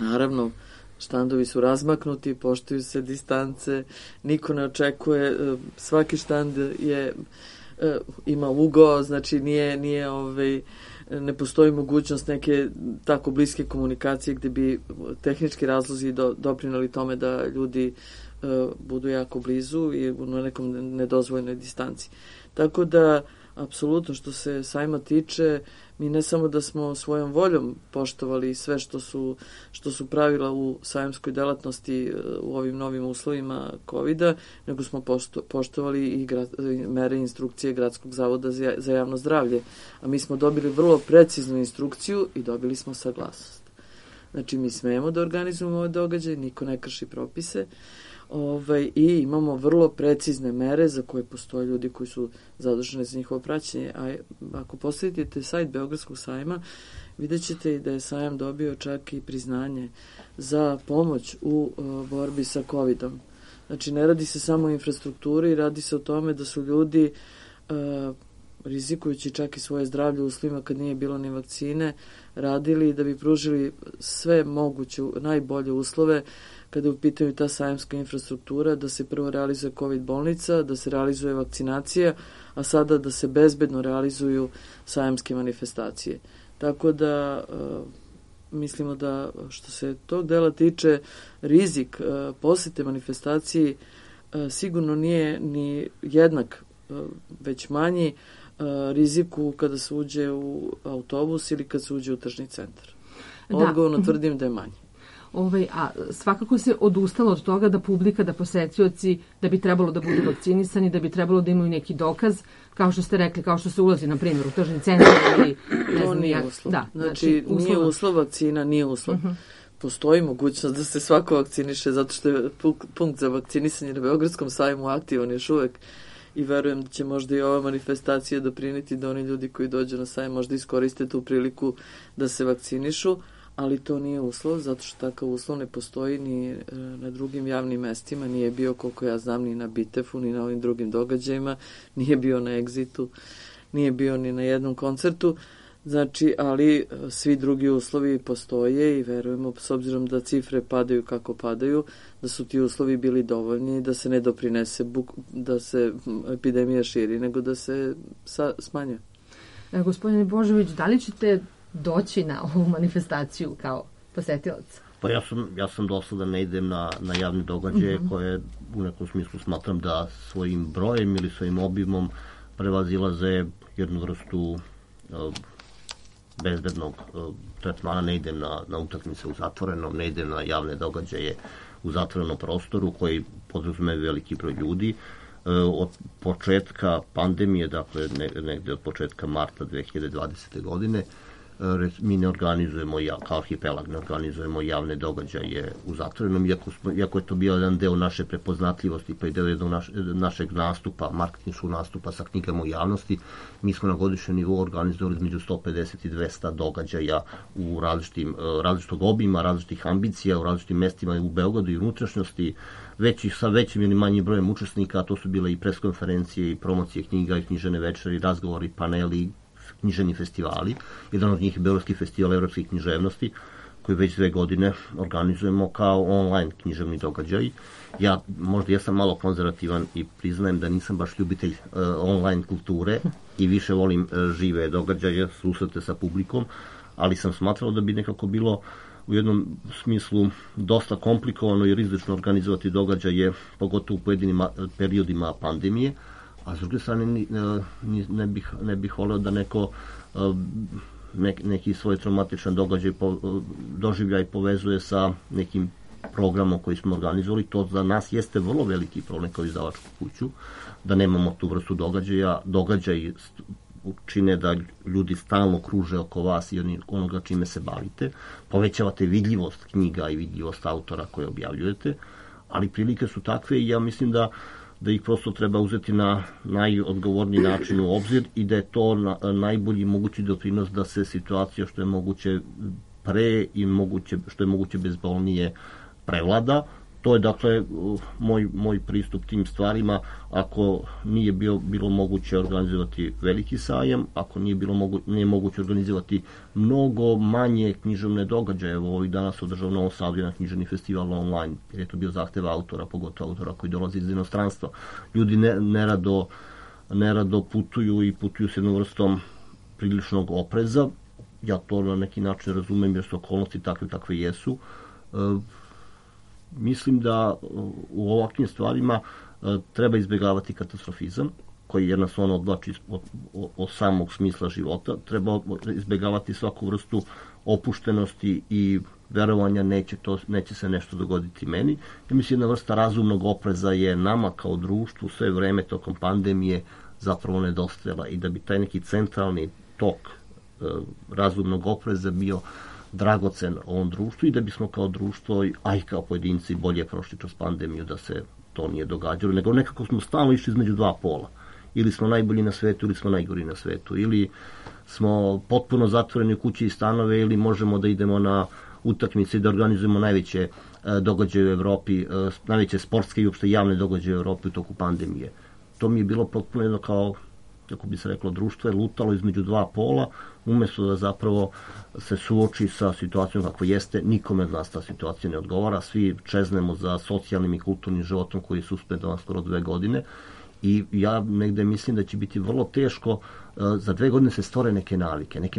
E: Naravno, štandovi su razmaknuti, poštuju se distance, niko ne očekuje, svaki štand ima ugao, znači ne postoji mogućnost neke tako bliske komunikacije gde bi tehnički razlozi doprineli tome da ljudi budu jako blizu i na nekom nedozvoljnoj distanci. Tako da, apsolutno, što se sajma tiče, mi ne samo da smo svojom voljom poštovali sve što su pravila u sajamskoj delatnosti u ovim novim uslovima COVID-a, nego smo poštovali i mere i instrukcije Gradskog zavoda za javno zdravlje. A mi smo dobili vrlo preciznu instrukciju i dobili smo saglasnost. Znači, mi smemo da organizujemo ovaj događaj, niko ne krši propise, i imamo vrlo precizne mere za koje postoje ljudi koji su zaduženi za njihovo praćenje. A ako posjetite sajt Beogradskog sajma, vidjet ćete da je sajam dobio čak i priznanje za pomoć u borbi sa COVID-om. Znači, ne radi se samo o infrastrukturi, radi se o tome da su ljudi rizikujući čak i svoje zdravlje u uslovima kad nije bilo ni vakcine, radili da bi pružili sve moguće, najbolje uslove kada je u pitanju ta sajamska infrastruktura, da se prvo realizuje COVID bolnica, da se realizuje vakcinacija, a sada da se bezbedno realizuju sajamske manifestacije. Tako da mislimo da što se tog dela tiče, rizik posete manifestaciji sigurno nije ni jednak, već manji riziku kada se uđe u autobus ili kada se uđe u tržni centar. Odgovorno tvrdim da je manji.
A: A svakako se odustalo od toga da publika, da posetioci, da bi trebalo da budu vakcinisani, da bi trebalo da imaju neki dokaz, kao što ste rekli, kao što se ulazi, na primjer, u tržni centar ili ne znam,
E: nije uslov. Znači, nije uslov vakcina, nije uslov. Postoji mogućnost da se svako vakciniše, zato što je punkt za vakcinisanje na Beogradskom sajmu aktivan još uvek i verujem da će možda i ova manifestacija doprineti da oni ljudi koji dođu na sajam možda iskoriste tu priliku da se vakcinišu, ali to nije uslov, zato što takav uslov ne postoji ni na drugim javnim mestima, nije bio, koliko ja znam, ni na Bitefu, ni na ovim drugim događajima, nije bio na Exitu, nije bio ni na jednom koncertu, znači, ali svi drugi uslovi postoje i verujemo, s obzirom da cifre padaju kako padaju, da su ti uslovi bili dovoljni, da se ne doprinese da se epidemija širi, nego da se smanjuje.
A: Gospodine Božović, da li ćete doći na ovu manifestaciju kao posetilac?
D: Pa ja sam dosada ne idem na javne događaje koje u nekom smislu smatram da svojim brojem ili svojim obimom prevazilaze jednu vrstu bezbednog tretmana. Ne idem na utakmice u zatvorenom, ne idem na javne događaje u zatvorenom prostoru koji podrazumevaju veliki broj ljudi. Od početka pandemije, dakle negde od početka marta 2020. godine, mi ne organizujemo, kao Arhipelag, ne organizujemo javne događaje u zatvorenom, iako je to bio jedan deo naše prepoznatljivosti, pa i deo jednog našeg nastupa, marketinškog nastupa sa knjigama u javnosti. Mi smo na godišnjem nivou organizovali između 150 i 200 događaja u različitog obima, različitih ambicija, u različitim mestima u Beogradu i unutrašnjosti, sa većim ili manjim brojem učesnika, a to su bile i preskonferencije i promocije knjiga i književne večeri, razgovori, paneli, književni festivali. Jedan od njih je Beogradski festival evropskih književnosti, koji već 2 godine organizujemo kao online književni događaj. Ja možda jesam malo konzervativan i priznajem da nisam baš ljubitelj online kulture i više volim žive događaje, susrete sa publikom, ali sam smatrao da bi nekako bilo u jednom smislu dosta komplikovano i rizično organizovati događaje, pogotovo u pojedinim periodima pandemije, a s druge strane ne bih voleo da neki svoj traumatičan doživljaj povezuje sa nekim programom koji smo organizovali. To za nas jeste vrlo veliki problem kao izdavačku kuću, da nemamo tu vrstu događaja. Događaji čine da ljudi stalno kruže oko vas i onoga čime se bavite. Povećavate vidljivost knjiga i vidljivost autora koje objavljujete, ali prilike su takve i ja mislim da ih prosto treba uzeti na najodgovorniji način u obzir i da je to najbolji mogući doprinos da se situacija što je moguće pre i što je moguće bezbolnije prevlada. To je dakle moj pristup tim stvarima. Ako nije bilo moguće organizovati veliki sajam, ako nije moguće organizovati mnogo manje književne događaje, evo ovih dana se održao u Novom Sadu jedan književni festival online, jer je to bio zahtev autora, pogotovo autora koji dolazi iz inostranstva. Ljudi nerado putuju i putuju s jednom vrstom priličnog opreza. Ja to na neki način razumem jer su okolnosti takve jesu. Mislim da u ovakvim stvarima treba izbjegavati katastrofizam, koji jednostavno odvlači od samog smisla života. Treba izbjegavati svaku vrstu opuštenosti i verovanja neće se nešto dogoditi meni. Ja mislim, jedna vrsta razumnog opreza je nama kao društvu sve vreme tokom pandemije zapravo nedostajala i da bi taj neki centralni tok razumnog opreza bio dragocen ovom društvu i da bismo kao društvo, a i kao pojedinci, bolje prošli kroz pandemiju, da se to nije događalo, nego nekako smo stalno išli između dva pola. Ili smo najbolji na svetu, ili smo najgori na svetu. Ili smo potpuno zatvoreni u kući i stanove, ili možemo da idemo na utakmice i da organizujemo najveće događaje u Evropi, najveće sportske i uopšte javne događaje u Evropi u toku pandemije. To mi je bilo potpuno jedno kao, kako bi se reklo, društvo je lutalo između dva pola, umjesto da zapravo se suoči sa situacijom kako jeste. Nikome od nas ta situacija ne odgovara, svi čeznemo za socijalnim i kulturnim životom koji je suspendovan skoro 2 godine I ja negde mislim da će biti vrlo teško za 2 godine se stvore neke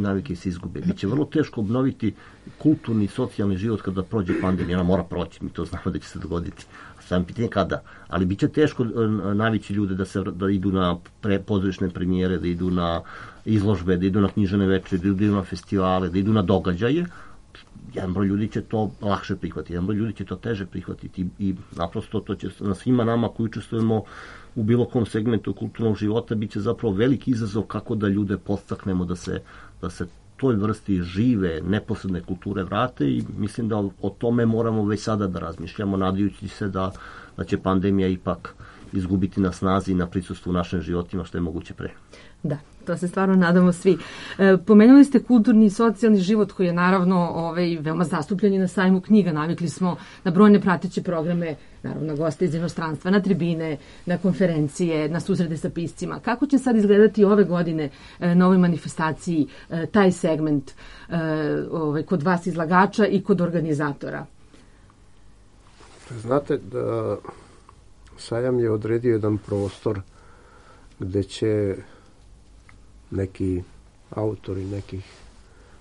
D: navike se izgube. Biće vrlo teško obnoviti kulturni i socijalni život kada prođe pandemija. Ona mora proći, mi to znamo da će se dogoditi. Samo pitanje kada. Ali biće teško navići ljude da idu na pozorišne premijere, da idu na izložbe, da idu na književne večeri, da idu na festivale, da idu na događaje. Jedan broj ljudi će to lakše prihvatiti, jedan broj ljudi će to teže prihvatiti i naprosto to će na svima nama koji učestvujemo u bilo kom segmentu kulturnog života bit će zapravo veliki izazov kako da ljude podstaknemo da se toj vrsti žive, neposredne kulture vrate i mislim da o tome moramo već sada da razmišljamo, nadajući se da će pandemija ipak izgubiti na snazi i na prisustvu u našim životima što je moguće pre.
A: Da, to se stvarno nadamo svi. Pomenuli ste kulturni i socijalni život koji je naravno veoma zastupljen i na sajmu knjiga. Navikli smo na brojne prateće programe, naravno goste iz inostranstva, na tribine, na konferencije, na susrete sa piscima. Kako će sad izgledati ove godine na ovoj manifestaciji taj segment kod vas izlagača i kod organizatora?
G: Znate da sajam je odredio jedan prostor gde će neki autori nekih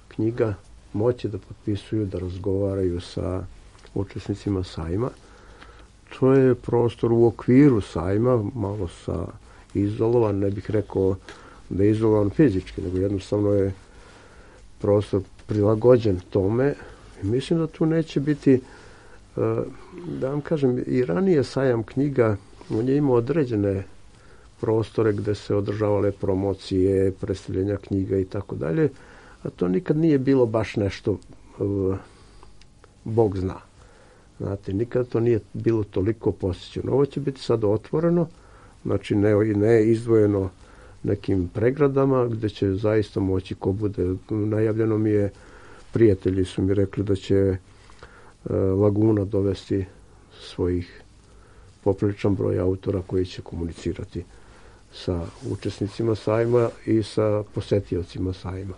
G: knjiga moći da potpisuju, da razgovaraju sa učesnicima sajma. To je prostor u okviru sajma, malo izolovan, ne bih rekao da je izolovan fizički, nego jednostavno je prostor prilagođen tome. I mislim da tu neće biti, da vam kažem, i ranije sajam knjiga, on je imao određene prostore gde se održavale promocije, predstavljanja knjiga i tako dalje, a to nikad nije bilo baš nešto Bog zna. Znate, nikad to nije bilo toliko posjećeno. Ovo će biti sad otvoreno, znači ne izdvojeno nekim pregradama, gde će zaista moći ko bude. Najavljeno mi je, prijatelji su mi rekli da će Laguna dovesti svojih popriličan broj autora koji će komunicirati sa učesnicima sajma i sa posetiocima sajma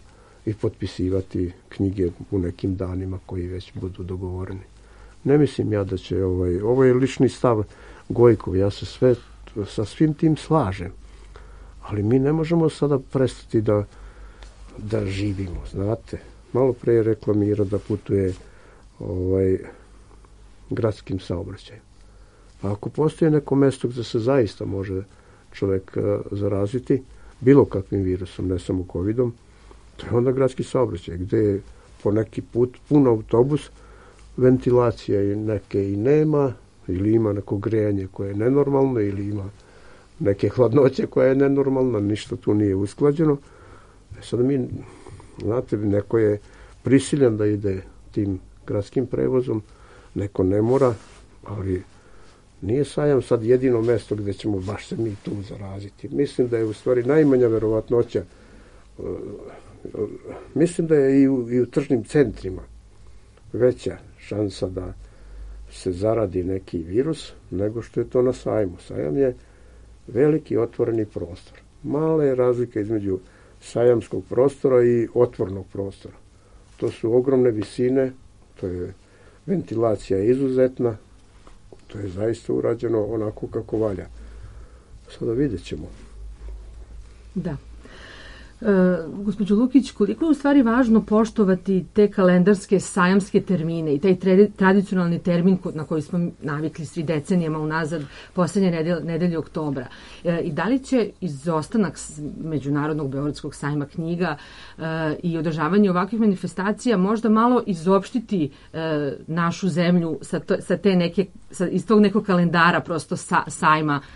G: i potpisivati knjige u nekim danima koji već budu dogovoreni. Ne mislim ja da će ovo je lični stav Gojkov, ja se sa svim tim slažem, ali mi ne možemo sada prestati da živimo, znate. Malo pre je rekla Mira da putuje gradskim saobraćajem. A ako postoji neko mesto gde se zaista može čovek zaraziti bilo kakvim virusom, ne samo covidom, to je onda gradski saobraćaj, gde je po neki put pun autobus, ventilacija neke i nema, ili ima neko grejanje koje je nenormalno, ili ima neke hladnoće koja je nenormalna, ništa tu nije usklađeno. Sada mi, znate, neko je prisiljen da ide tim gradskim prevozom, neko ne mora, ali nije sajam sad jedino mesto gde ćemo baš se mi tu zaraziti. Mislim da je u stvari najmanja verovatnoća, mislim da je i u tržnim centrima veća šansa da se zaradi neki virus nego što je to na sajmu. Sajam je veliki otvoreni prostor. Mala je razlika između sajamskog prostora i otvornog prostora. To su ogromne visine, to je ventilacija izuzetna, to je zaista urađeno onako kako valja. Sada vidjet ćemo.
A: Da. Gospođo Lukić, koliko je u stvari važno poštovati te kalendarske sajamske termine i taj tradicionalni termin na koji smo navikli svi decenijama unazad, poslednje nedelje oktobra. I da li će izostanak Međunarodnog beogradskog sajma knjiga i održavanje ovakvih manifestacija možda malo izopštiti našu zemlju iz tog nekog kalendara prosto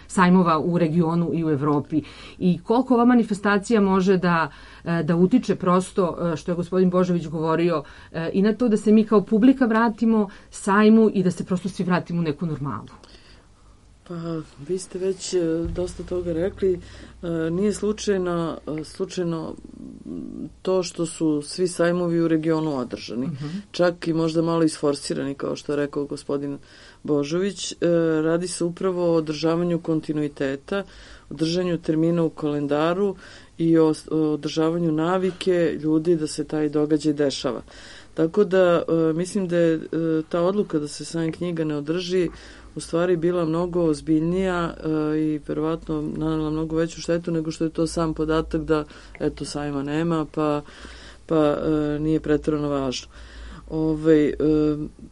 A: sajmova u regionu i u Evropi? I koliko ova manifestacija može da utiče prosto, što je gospodin Božović govorio, i na to da se mi kao publika vratimo sajmu i da se prosto svi vratimo u neku normalu?
E: Pa, vi ste već dosta toga rekli. Nije slučajno to što su svi sajmovi u regionu održani. Čak i možda malo isforsirani, kao što je rekao gospodin Božović. Radi se upravo o održavanju kontinuiteta, održanju termina u kalendaru i o održavanju navike ljudi da se taj događaj dešava. Tako da mislim da je ta odluka da se sajam knjiga ne održi u stvari bila mnogo ozbiljnija i verovatno nanela mnogo veću štetu nego što je to sam podatak da eto sajma nema pa nije preterano važno.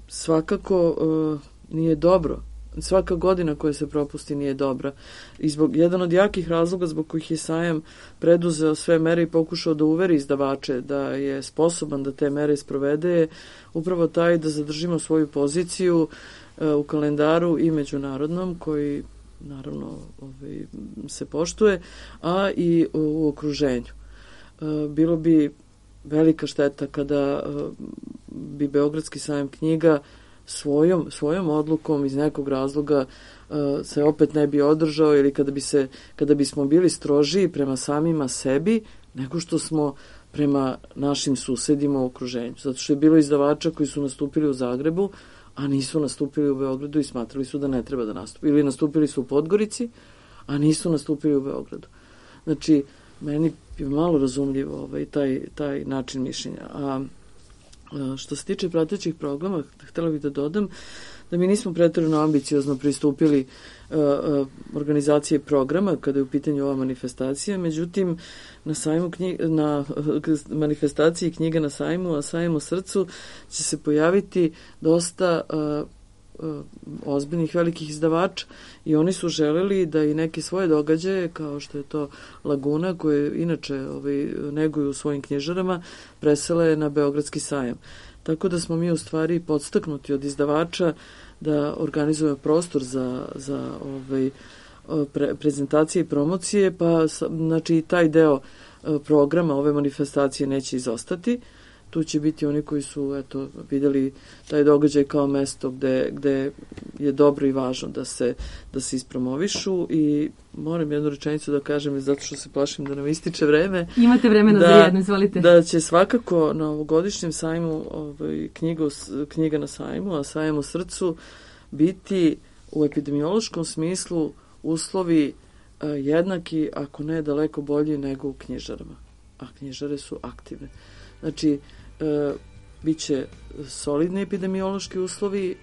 E: Svakako nije dobro. Svaka godina koja se propusti nije dobra. I jedan od jakih razloga zbog kojih je sajam preduzeo sve mere i pokušao da uveri izdavače da je sposoban da te mere sprovede je upravo taj da zadržimo svoju poziciju u kalendaru i međunarodnom koji naravno se poštuje, a i u okruženju. Bilo bi velika šteta kada bi Beogradski sajam knjiga svojom odlukom iz nekog razloga se opet ne bi održao ili kada bismo bili strožiji prema samima sebi nego što smo prema našim susedima u okruženju. Zato što je bilo izdavača koji su nastupili u Zagrebu, a nisu nastupili u Beogradu i smatrali su da ne treba da nastupi. Ili nastupili su u Podgorici, a nisu nastupili u Beogradu. Znači, meni je malo razumljivo taj način mišljenja. A što se tiče pratećih programa, htjela bih da dodam da mi nismo preterano ambiciozno pristupili organizacije programa kada je u pitanju ova manifestacija, međutim na manifestaciji knjiga na sajmu, a sajmu srcu će se pojaviti dosta ozbiljnih velikih izdavača i oni su želeli da i neke svoje događaje, kao što je to Laguna, koje inače neguju u svojim knjižarama, presele na Beogradski sajam. Tako da smo mi u stvari podstaknuti od izdavača da organizujemo prostor za prezentacije i promocije, pa znači taj deo programa ove manifestacije neće izostati. Tu će biti oni koji su vidjeli taj događaj kao mesto gde je dobro i važno da se ispromovišu i moram jednu rečenicu da kažem zato što se plašim da nam ističe vreme.
A: Imate vremena za jedno, izvolite.
E: Da će svakako na ovogodišnjem sajmu knjiga na sajmu, a sajam u srcu biti u epidemiološkom smislu uslovi jednaki, ako ne daleko bolji nego u knjižarama. A knjižare su aktivne. Znači, bit će solidni epidemiološki uslovi,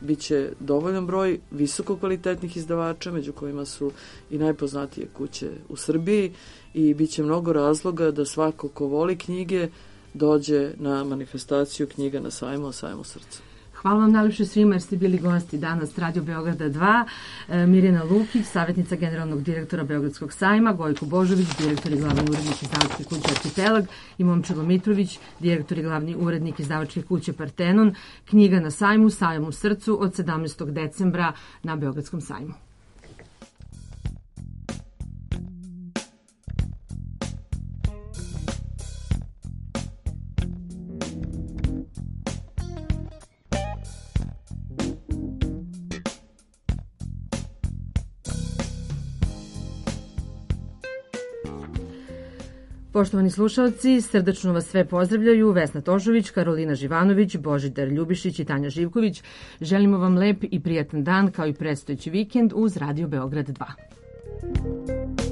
E: bit će dovoljan broj visoko kvalitetnih izdavača, među kojima su i najpoznatije kuće u Srbiji i bit će mnogo razloga da svako ko voli knjige dođe na manifestaciju knjiga na sajmu, a sajmu srca.
A: Hvala vam najlepše svima jer ste bili gosti danas Radio Beograda 2, Mirjana Lukić, savjetnica generalnog direktora Beogradskog sajma, Gojko Božović, direktor i glavni urednik izdavačke kuće Arhipelag i Momčilo Mitrović, direktor i glavni urednik izdavačke kuće Partenon. Knjiga na sajmu, sajam u srcu od 17. decembra na Beogradskom sajmu. Poštovani slušalci, srdačno vas sve pozdravljaju Vesna Tošović, Karolina Živanović, Božidar Ljubišić i Tanja Živković. Želimo vam lep i prijatan dan kao i predstojeći vikend uz Radio Beograd 2.